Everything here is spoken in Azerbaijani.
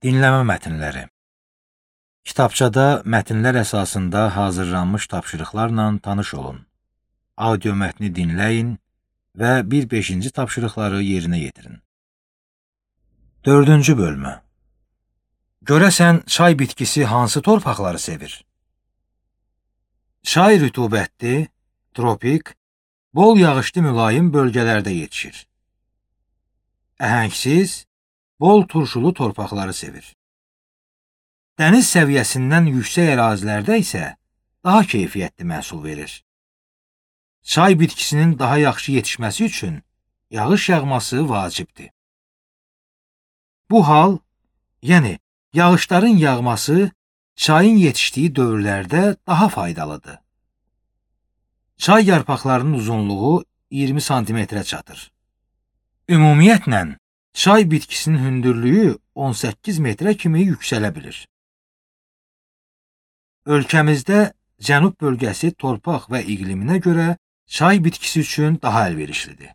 Dinləmə mətnləri. Kitabçada mətnlər əsasında hazırlanmış tapşırıqlarla tanış olun. Audio mətni dinləyin və 1-5-ci tapşırıqları yerinə yetirin. 4-cü bölmə. Görəsən, çay bitkisi hansı torpaqları sevir? Çay rütubətli, tropik, bol yağışlı mülayim bölgələrdə yetişir. Əhəngsiz, bol turşulu torpaqları sevir. Dəniz səviyyəsindən yüksək ərazilərdə isə daha keyfiyyətli məhsul verir. Çay bitkisinin daha yaxşı yetişməsi üçün yağış yağması vacibdir. Bu hal, yəni yağışların yağması çayın yetişdiyi dövrlərdə daha faydalıdır. Çay yarpaqlarının uzunluğu 20 santimetrə çatır. Ümumiyyətlə, çay bitkisinin hündürlüyü 18 metrə kimi yüksələ bilir. Ölkəmizdə cənub bölgəsi torpaq və iqliminə görə çay bitkisi üçün daha əlverişlidir.